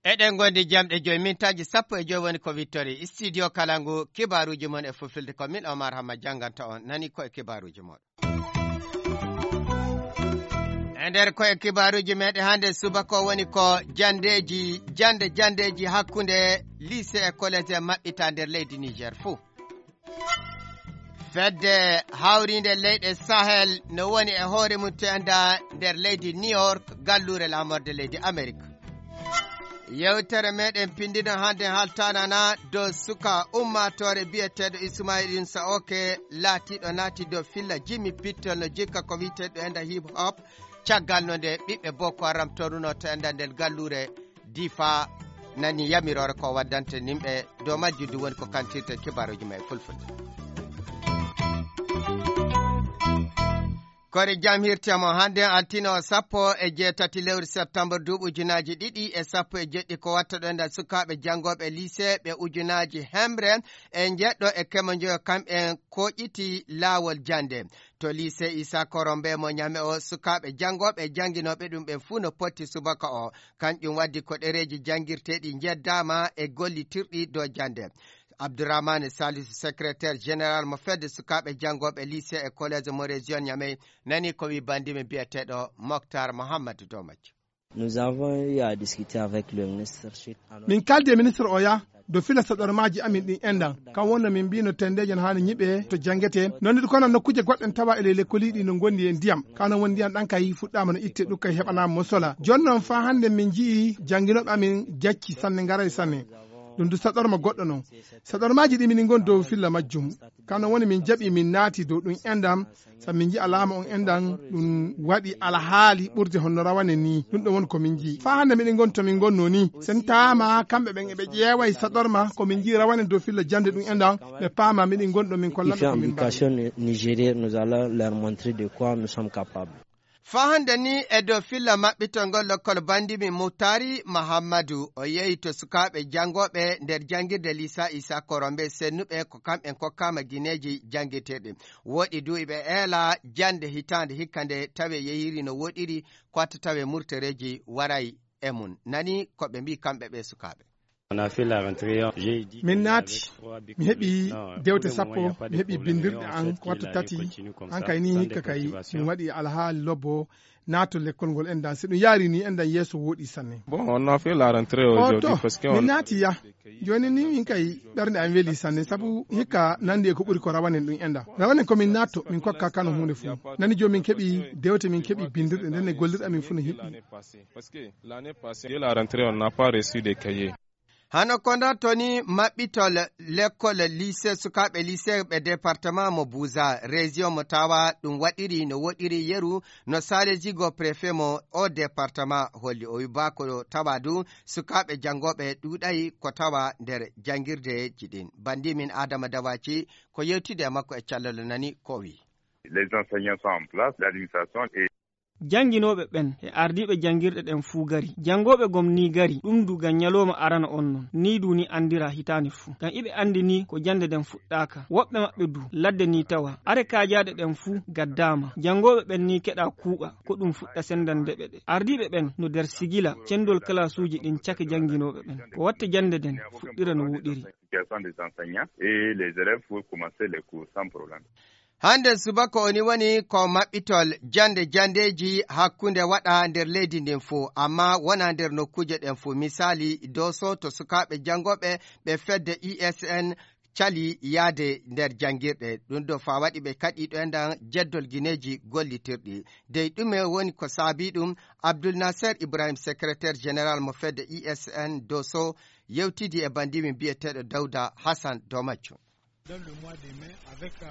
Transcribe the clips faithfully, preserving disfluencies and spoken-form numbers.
Eɗen ngondi jamɗe joyi, mintaaji sappo e joyi woni ko wittori. Studio Kalangu, kibaaruuji mon e fulfulde, ko min Omar Hamma jannganta on. Nani ko e kibaaruuji mon. E nder ko e kibaaruuji meɗen hannde subaka o woni ko janndeeji, jannde janndeeji hakkunde lycée e collège e maɓɓita nder leydi Niger fuu. Fedde hawriinde leyɗe Sahel no woni e hoore mum teenda nder leydi New York, galluure laamorde leydi Amerik. Yewtere meɗen pindino hannde haltanana dow suka ummaatoore biyeteeɗo Ismail Insa Oke, laatiiɗo naati dow filla Jimmy Pittel no jikka ko wiyeteeɗo enda hip hop. Caggal no nde ɓiɓɓe Boko Haram toruno to enda nder galluure Difa nani yamiroore ko waddante nimɓe dow majjum, ɗum woni ko kantirte kibaaruuji ma e fulfulde. Kori jam hirte mo hannde altine o sappo e jeetati lewru septembre duuɓi ujunaaji ɗiɗi e sappo e jeɗɗi ko watta ɗo enda sukaaɓe janngooɓe lycée ɓe ujunaaji hemre e njeɗɗo e kemo njoyo kamɓen koƴiti laawol jannde. To lycée Issa Korombe mo Ñame o, sukaaɓe janngooɓe e jannginooɓe ɗum ɓen fuu no potti subaka o. Kanƴum waddi ko ɗereeji janngirteeɗi njeddaama e gollitirɗi dow jannde. Abdourahmane Salisu, secrétaire général mo fedde sukaaɓe janngooɓe lycée e collège mo région Ñame, nani ko wi banndimi biyeteeɗo Moctar Mohammad Domac. Nous avons eu à discuter avec le ministre suite à notre Min kaldi e ministre o ya dow fila saɗormaaji amin ɗin enɗan. Kan wonno min mbino tendeeje no haani ñiɓe to janngetee. Non ɗi kono nokkuuje goɗɗen tawa e ley lekkoliiɗi no ngondi e ndiyam. Kano woni ndiyam ɗan kay fuɗɗaama no itte ɗum kay heɓanaama mo sola. Jooni non faa hannde min nji'i jannginooɓe amin jacci sanne, ngaray sanne. Ɗum du saɗorma goɗɗo non. Saɗormaaji ɗi minin ngon dow filla majjum. Kano woni min jaɓi min naati dow ɗum enɗan. Sabu min nji'a laamu on enɗan ɗum waɗi alhaali ɓurde honno rawane ni. Ɗum ɗon woni ko min nji'i. Faa hannde miɗen ngon to min ngonno ni. Sen taama kamɓe ɓen eɓe ƴeewa e saɗorma ko min nji'i rawane dow filla jannde ɗum enɗan. Ɓe paama miɗen ngon ɗo min kolla ɓe ko min mbaɗi. Nigérienne, nous allons leur montrer de quoi nous sommes capables. Faa hannde ni e dow filla maɓɓitol ngol lokkol banndimi Mutari Mahammadu, o yehi to sukaaɓe janngooɓe nder janngirde Lisa Isa Korombe sennuɓe ko kamɓen kokkaama gineeji janngirteeɗi. Woɗi du iɓe eela jannde hitaande hikka nde tawe yehiri no woɗiri, ko watta tawe murtereeji waray e mum. Nani ko ɓe mbii kamɓe ɓe sukaaɓe. On a fait la rentrée, j'ai dit Min naati, mi heɓi dewte sappo, mi heɓi bindirɗe an ko watta tati, an kay ni hikka kay, min waɗi alhaali lobbo, naato lekkol ngol enɗan, si ɗum yaari ni enɗan yeeso wooɗi sanne. Bon, on a fait la rentrée aujourd'hui parce que min naati ya, jooni ni min kay ɓernde am weli sanne, sabu hikka nandi e ko ɓuri ko rawanen ɗum enɗan. Rawanen ko min naatto, min kokka kano huunde fuu. Nani jooni min keɓi dewte, min keɓi bindirɗe, nden e gollirɗe amin fuu no hiɓɓi. Parce que l'année passée, dès la rentrée, on n'a pas reçu de cahiers. Hano ko nda toni maɓɓitol lekkol lycée, sukaaɓe lycée ɓe département mo Buza, région mo tawa ɗum waɗiri no woɗiri yeru no Sale Zigo préfet mo o département holli. O wi ba ko tawa du sukaaɓe janngooɓe ɗuuɗay ko tawa nder janngirdeeji ɗin. Bandi min Adama Dawaci ko yewtide e makko e callal nani ko wi. Les enseignants sont en place, l'administration est Jannginooɓe ɓen e ardiiɓe janngirɗe ɗen fuu gari. Janngooɓe gom nii gari, ɗum du ngam ñalooma arano on non. Nii du ni anndiraa hitaande fuu. Ngam iɓe anndi nii ko jannde nden fuɗɗaaka. Woɓɓe maɓɓe du, ladde nii tawa. Are kaajaaɗe ɗen fuu gaddaama. Janngooɓe ɓen nii keɗaa kuuɓa, ko ɗum fuɗɗa senndande ɓe ɗe. Ardiiɓe ɓen no nder sigila, cenndol kalaasuuji ɗin cake jannginooɓe ɓen. Ko watta jannde nden fuɗɗira no woɗiri. Situation des enseignants et les élèves pour commencer les cours sans problème. Hannde subaka oni woni ko maɓɓitol jannde janndeeji hakkunde waɗa nder leydi ndin fuu, amma wonaa nder nokkuuje ɗen fuu. Misaali, Dooso to sukaaɓe janngooɓe ɓe fedde I S N cali yaade nder janngirɗe. Ɗum ɗo faa waɗi ɓe kaɗii ɗo enɗan jeddol gineeji gollitirɗi. Dey ɗume woni ko saabii ɗum? Abdul Naser Ibrahim, secrétaire général mo fedde I S N Dooso, yewtidi e bandimin biyeteeɗo Dawda Hassan Domacco. Dans le mois de mai, avec, euh,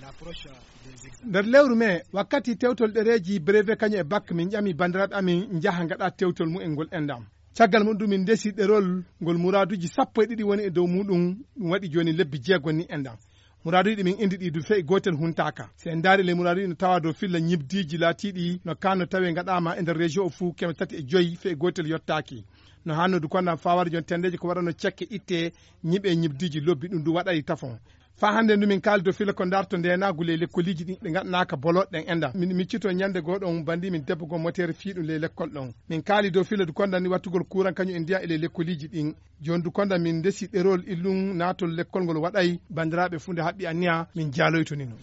l'approche, euh, des examens. Nder lewru mee, wakkati tewtol ɗereeji brevet kañum e bac, min ƴami banndiraaɓe amin njaha ngaɗa tewtol mumen ngol enɗan. Caggal mum ɗum min ndesi ɗerol ngol muraaduuji sappo e ɗiɗi woni e dow muɗum, ɗum waɗi jooni lebbi jeego ni enɗan. Muraaduuji ɗi min indi ɗi du fe'i gootel huntaaka. Si en ndaari ley muraaduuji no tawa dow filla ñibdiiji laatiiɗi no kaan no tawe ngaɗaama e nder région o fuu keme tati e joyi fe'i gootel yottaaki. No hannoo du kondan faa wara jon tenndeeji ko waɗano cekke itte ñiɓe ñibdiiji lobbi ɗum du waɗay tafon. Faa hannde ndu min kaali dow filla ko ndarto ndeenaagu ley lekkoliiji ɗin ɗi ngaɗanaaka bolooɗe ɗen enɗan. Min miccito ñannde goo ɗon banndi min debbo goo moteere fii ɗum ley lekkol ɗon. Min kaali dow filla du kondan ni wattugol kuuran kañum e ndiyan e ley lekkoliiji ɗin. Jooni du kondan min ndesi ɗerol illum naatol lekkol ngol waɗay banndiraaɓe fuu nde haɓɓi anniya min jaaloyto ni non.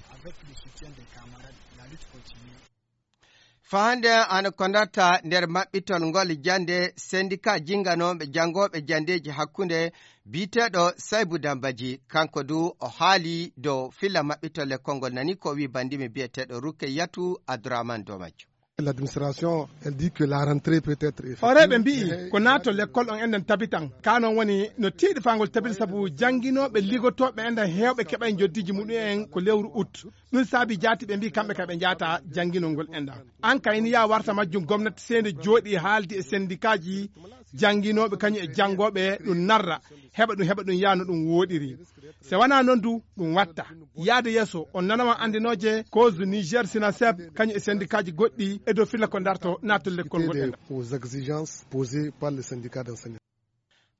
Faa hannde ana ko ndatta nder maɓɓitol ngol jannde sendika jinnganooɓe janngooɓe janndeeji hakkunde biyeteeɗo Saybu Dambaji, kanko du o haali dow filla maɓɓitol lekkol ngol nani ko wii banndimi biyeteeɗo Rukkeyatu Abdourahmane dow majjum. L'administration, elle dit que la rentrée peut être effective. Hooreeɓe mbi'i ko naatol lekkol on enɗan tabitan. Kaa non woni no tiiɗi faa ngol tabiti sabu jannginooɓe ligotooɓe enɗan heewɓe keɓay njoddiiji muɗum en ko lewru ut. Ɗum saabi jaati ɓe mbi'i kamɓe ka ɓe njaata jannginol ngol enɗan. An kayni yaa warta majjum gomnati seende jooɗii haaldi e sendikaaji jannginooɓe kañum e janngooɓe ɗum narra heɓa ɗum heɓa ɗum yaa no ɗum wooɗiri. Se wanaa non du ɗum watta. Yaade yeeso on nanawan anndinooje cause Niger Sinaseb kañum e sendikaaji goɗɗi e dow filla ko ndarto naatol lekkol ngol enɗan. Aux exigences posées par le syndicat d'enseignants.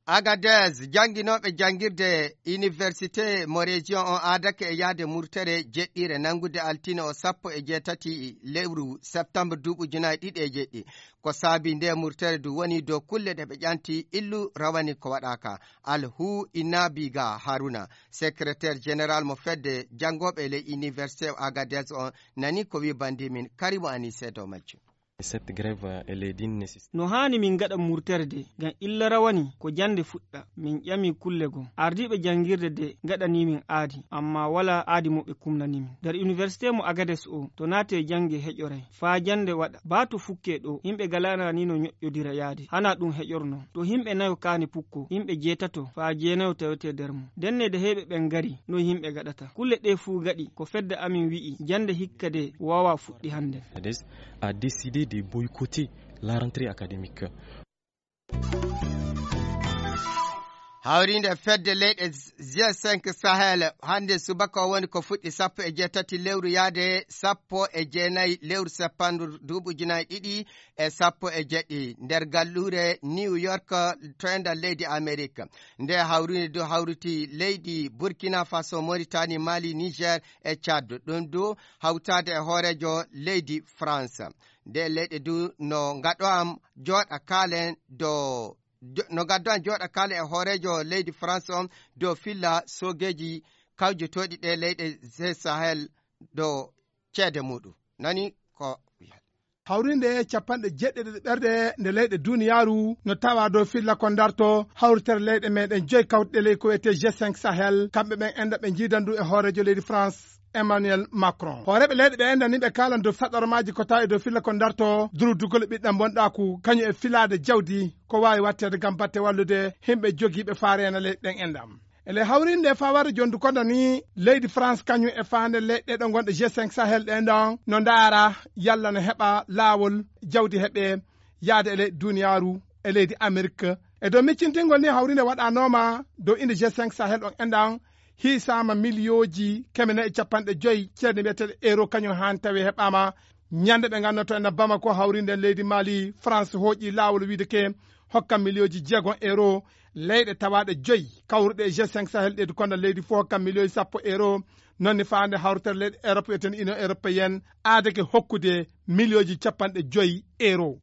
Agadez, jannginooɓe janngirde Université mo région on aadake e yahde murtere jeɗɗiire nanngude altine o sappo e jeetati lewru septembre duuɓi ujunaaji ɗiɗi e jeɗɗi. Ko saabi nde murtere du woni dow kulle ɗe ɓe ƴanti illu rawani ko waɗaaka. Alhu Inabiga Haruna, secrétaire général mo fedde janngooɓe ley Université Agadez on nani ko wii banndi min Karimu Anise dow majjum. Cette grève, elle est d'une nécessité. No haani min ngaɗa murtere de, ngam illa rawani ko jannde fuɗɗa. Min ƴami kulle goo. Ardiiɓe janngirde de ngaɗanii min aadi, ammaa walaa aadi mo ɓe kumnanii min. Nder université mo Agades o, to naatee jannge heƴoray. Faa jannde waɗa. Baa to fukkee ɗoo, yimɓe galaana ni no ñoƴƴodira yaade. Hanaa ɗum heƴornoo. To yimɓe nayo kaani pukkoo, yimɓe jeetato faa jeenayo tawetee nder mum. Ndenne de heyɓe ɓen ngarii, noy yimɓe gaɗata? Kulle ɗee fuu gaɗi ko fedde amin wi'i, jannde hikka de waawaa fuɗɗi hannden. Agadez a décidé de boycotter la rentrée académique. Hawriinde fedde leyɗe G cinq Sahel hannde subaka o woni ko fuɗɗi sappo e jeetati lewru yaade sappo e jeenayi lewru seppandu duuɓi ujunaaji ɗiɗi e sappo e jeɗɗi nder galluure New York to enɗan leydi Amerik. Nde hawriinde du hawriti leydi Burkina Faso, Mauritanie, Mali, Niger e Tchad. Ɗum du hawtaade e hooreejo leydi France. Nde leyɗe du no ngaɗo am jooɗa kaalen dow jo-, no ngaddo am jooɗa kaalen e hooreejo leydi France on dow filla soogeeji kawjotooɗi ɗe leyɗe G Sahel dow ceede muɗum. Nani ko hawrinde capanɗe jeeɗiɗi ɓerɗe nde leyɗe duniyaaru no tawa dow filla ko ndarto hawritere leyɗe meɗen joyi kawtuɗe ley ko wiyetee G cinq Sahel, kamɓe ɓen enɗan ɓe njiidan du e hooreejo leydi France, Emmanuel Macron. Hooreeɓe leyɗe ɓe enɗan ni ɓe kaalan dow saɗɗormaaji ko tawa e dow filla ko ndarto durudugol e ɓiɗɗan bonɗaaku, kañum e filaade jawdi ko waawi watteede ngam batte wallude yimɓe jogiiɓe faa reena leyɗe ɗen enɗan. E ley hawriinde faa warde jooni du konda ni leydi France kañum e faande leyɗe ɗo ngonɗe G cinq Sahel ɗen ɗon no ndaara yalla no heɓa laawol jawdi heɓee yaade e leyɗe duniyaaru e leydi Amerik. E dow miccintingol ni hawriinde waɗanooma dow innde G cinq Sahel on enɗan hiisaama miliyooji keme nayi e capanɗe joyi ceede mbiyeteeɗe euro kañum haan tawi heɓaama ñande ɓe nganndoto ena Bamako hawriinde leydi Mali France hooƴi laawol wiide ke hokka miliyooji jeegom euro leyɗe tawaaɗe joyi kawruɗe e G cinq Sahel ɗe du konda leydi fof hokka miliyooji sappo euro. Noon ne faande hawritere leyɗe Europe wiyeten Union Européenne aadake hokkude miliyooji capanɗe joyi euro.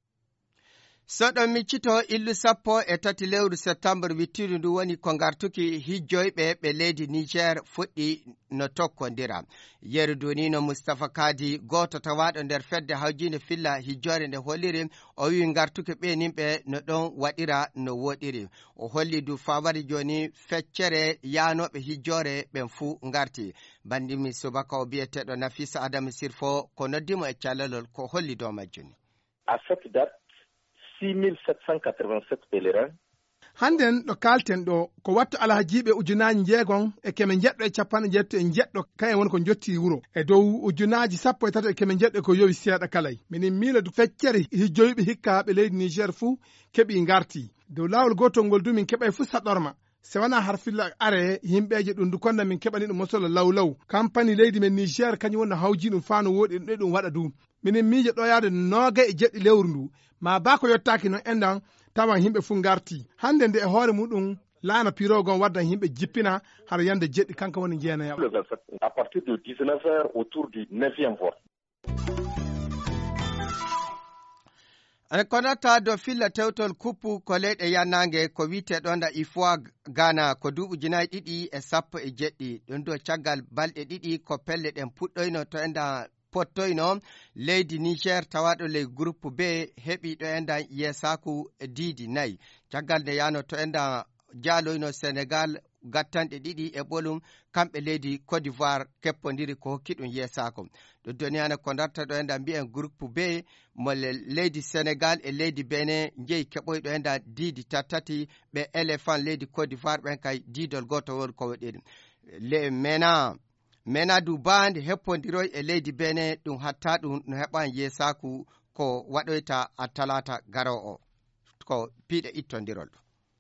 So ɗon miccito illu sappo e tati lewru septembre wittidu ndu woni ko ngartuki hijjoyɓe ɓe leydi Niger fuɗɗi no tokkondira. Yeru du ni no Mustapha Kadi gooto tawaaɗo nder fedde hawjiinde filla hijjoore nde holliri o wi'i ngartuki ɓe nimɓe no ɗon waɗira no wooɗiri. O holli du faa wari jooni feccere yaanooɓe hijjoore ɓen fuu ngarti. Banndimi subaka o biyeteeɗo Nafisa Adamu Sirfo ko noddi mo e callalol ko holli dow majjum. À cette date, six mille sept cent quatre-vingt-sept pèlerins. Hannden ɗo kaalten ɗo ko wattu alhajiiɓe ujunaaji njeegom e keme njeɗɗo e capanɗe njeetati e njeɗɗo kayen woni ko njottii wuro e dow ujunaaji sappo e tato e keme njeɗɗo ko yowi seeɗa kalay. Minin miila du feccere hijjoyɓe hikka ɓe leydi Niger fuu keɓii ngartii dow laawol gootol ngol du min keɓay fuu saɗorma. Se wanaa har filla are yimɓeeje ɗum du konda min keɓani ɗum mosolo law law kampani leydi men Niger kañum woni no hawji ɗum faa no wooɗi ɗum ɗe ɗum waɗa du. Minen miijo ɗo yaade noogay e jeɗɗi lewru ndu maa baa ko yottaaki noon enɗan tawan yimɓe fof ngartii. Hannde nde e hoore muɗum, laana pirogon waddan yimɓe jippina hara yande jeɗɗi, kanko woni jeenayaɓo. Le vingt-sept, à partir de dix-neuf heures, autour du neuvième vol. Ene konata dow filla tewtol kuppu ko leyɗe yannaange ko wiyetee ɗoon da IFOA Ghana ko duuɓi ujunaaji ɗiɗi e sappo e jeɗɗi. Ɗum ɗo caggal balɗe ɗiɗi ko pelle ɗen puɗɗoyno to enda pottoyno leydi Niger tawaaɗo ley groupe B heɓi ɗo enda yeesaaku diidi nayi. Caggal nde yaano to enda jaaloyno Senegal gattanɗe ɗiɗi e ɓolum, kamɓe leydi Côte d'Ivoire keppondiri ko hokki ɗum yeesaako. Ɗum doniyana ko darta ɗo enda mbiyen groupe B mo le-, leydi Senegal e leydi Benin njeyi keɓoy ɗo enda diidi tattati, ɓe Éléphant leydi Côte d'Ivoire ɓen kay diidol gooto won ko waɗi ɗum. Le Mena, Mena du Band heppondiroy e leydi Benin ɗum hatta ɗum no heɓan yeesaaku ko waɗoyta a talaata garoowo ko piiɗe ittondirol.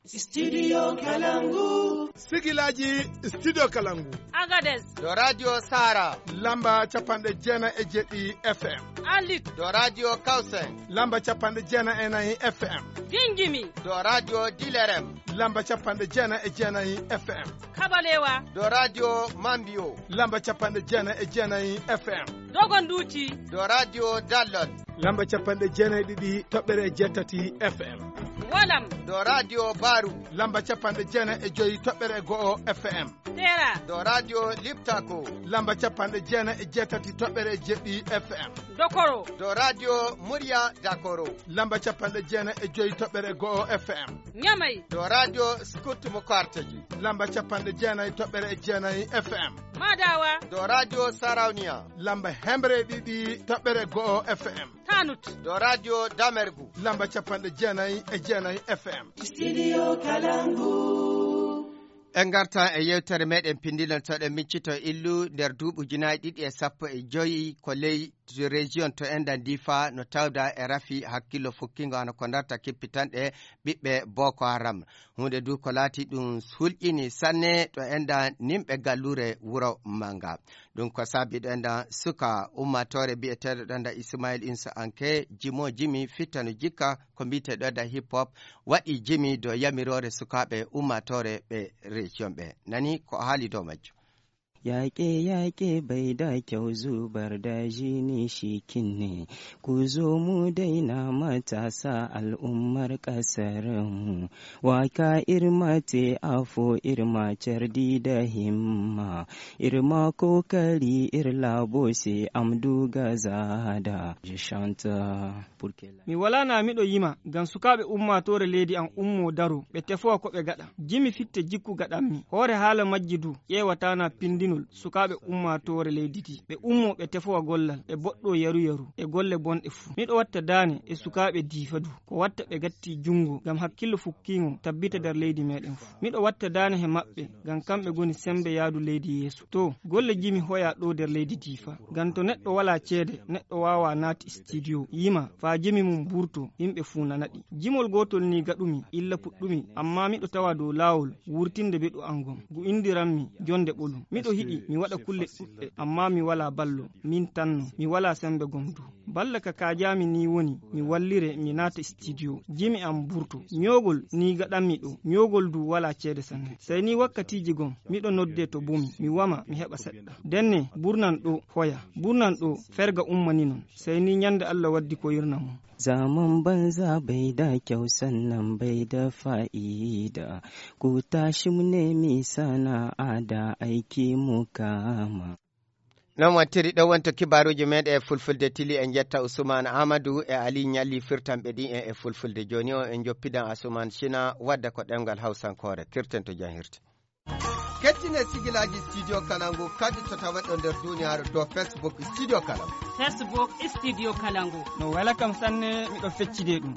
Studio Kalangu. Sigilaji Studio Kalangu. Agadez. Ɗo Radio Sara. Lamba capanɗe jeenayi e jeɗɗi F M. Alit. Ɗo Radio Kausen. Lamba capanɗe jeenayi e nayi F M. Gingimi. Ɗo Radio Dilerem. Lamba capanɗe jeenayi e jeenayi F M. Kabalewa. Ɗo Radio Mambio. Lamba capanɗe jeenayi e jeenayi F M. Dogonduuti. Ɗo Radio Dallon. Lamba capanɗe jeenayi e ɗiɗi toɓɓere e jeetati F M. Walam. Ɗo Radio Baru. Lamba capanɗe jeenayi e joyi toɓɓere e go'o F M. Tera. Ɗo Radio Liptako. Lamba capanɗe jeenayi e jeetati toɓɓere e jeɗɗi F M. Dokoro. Ɗo Radio Murya Dakoro. Lamba capanɗe jeenayi e joyi toɓɓere e go'o F M. Ñamay. Ɗo Radio Scout mo Karteji. Lamba capanɗe jeenayi toɓɓere e jeenayi F M. Madawa. Ɗo Radio Sarauniya. Lamba hemre e ɗiɗi toɓɓere e go'o F M. Tanut. Ɗo Radio Damergu. Lamba capanɗe jeenayi e jeenayi F M. Studio Kalangu. En ngarta e yewtere meɗen pindinol to ɗen miccito illu nder duuɓi ujunaaji ɗiɗi e sappo e joyi ko ley région to enɗan Difa no tawda e rafi hakkillo fukkingo hano ko darta kippitanɗe ɓiɓɓe Boko Haram. Huunde du ko laati ɗum hulƴini sanne to enɗan nimɓe gallure wuro Manga. Ɗum ko saabi ɗo enɗan suka ummatore biyeteeɗo ɗo enɗan Ismail Insa Anke jimo jimi fittano jikka ko mbiyetee ɗo enɗan hip hop waɗi jimi dow yamiroore sukaaɓe ummatore ɓe région ɓe. Nani ko haali dow majjum. Yaƙe-yaƙe bai da kyau, zubar da jini shi kinne. Ku zo mu daina matasa, al'ummar ƙasar mu. Waka irma te afo irma cardi da himma. Irma kokari ir labo se amdu gazada. Je chante pour que la Mi walaa na miɗo yima ngam sukaaɓe ummaatoore leydi am ummoo daroo, ɓe tefowa ko ɓe gaɗa. Jimi fitte jikku gaɗammi. Hoore haala majji du, ƴeewataa na pindinol sukaaɓe ummaatoore leydi ndi. Ɓe ummoo ɓe tefowa gollal, ɓe boɗɗoo yaru-yaru, e golle bonɗe fuu. Miɗo watta daane e sukaaɓe Diifa du, ko watta ɓe gatti junngo ngam hakkillo fukkiingo tabbita nder leydi meeɗen fuu. Miɗo watta daane he maɓɓe ngam kamɓe ngoni semmbe yahdu leydi yeeso. To, golle jimi hoyaa ɗoo nder leydi Diifa. Ngam to neɗɗo walaa ceede, neɗɗo waawaa naati studio, yima, faa jimi mum burtoo, yimɓe fuu nana ɗi. Jimol gootol nii gaɗumi, illa puɗɗumi, ammaa miɗo tawa dow laawol wurtinde beɗu am ngon. Ngu inndiranmi Jonnde Ɓolum. Miɗo yiɗi mi waɗa kulle ɗuɗɗe, ammaa mi walaa ballo, miin tan non, mi walaa semmbe gom du. Balla ka kaajaami nii woni, mi wallire, mi naata studio, jimi am burtoo. Ñoogol nii gaɗanmi ɗoo, ñoogol du walaa ceede sanne. Sey nii wakkatiiji gom, miɗo noddee to bumi, mi wama, mi heɓa seɗɗa. Denne, burnan ɗoo, hoya. Burnan ɗoo, ferga ummani non. Sey nii ñande Alla waddi koyirna mum. Zaman banza bai da kyau, sannan bai da fa'ida. Ku tashi mu nemi sana'a da aiki mu kama. Non wattiri ɗo wonto kibaaruuji meeɗen e fulfulde tili. En njetta Usmaan Aamadu e Ali Ñalli firtanɓe ɗi en e fulfulde. Jooni o en njoppidan Asumaan Sina wadda ko ɗemngal Hawsankoore. Kirten to jam hirti. Kettine sigilaaji Studio Kalangu kadi to taweɗo nder duniyaaru dow Facebook Studio Kalangu. Facebook Studio Kalangu. No wela kam sanne, miɗo feccide ɗum.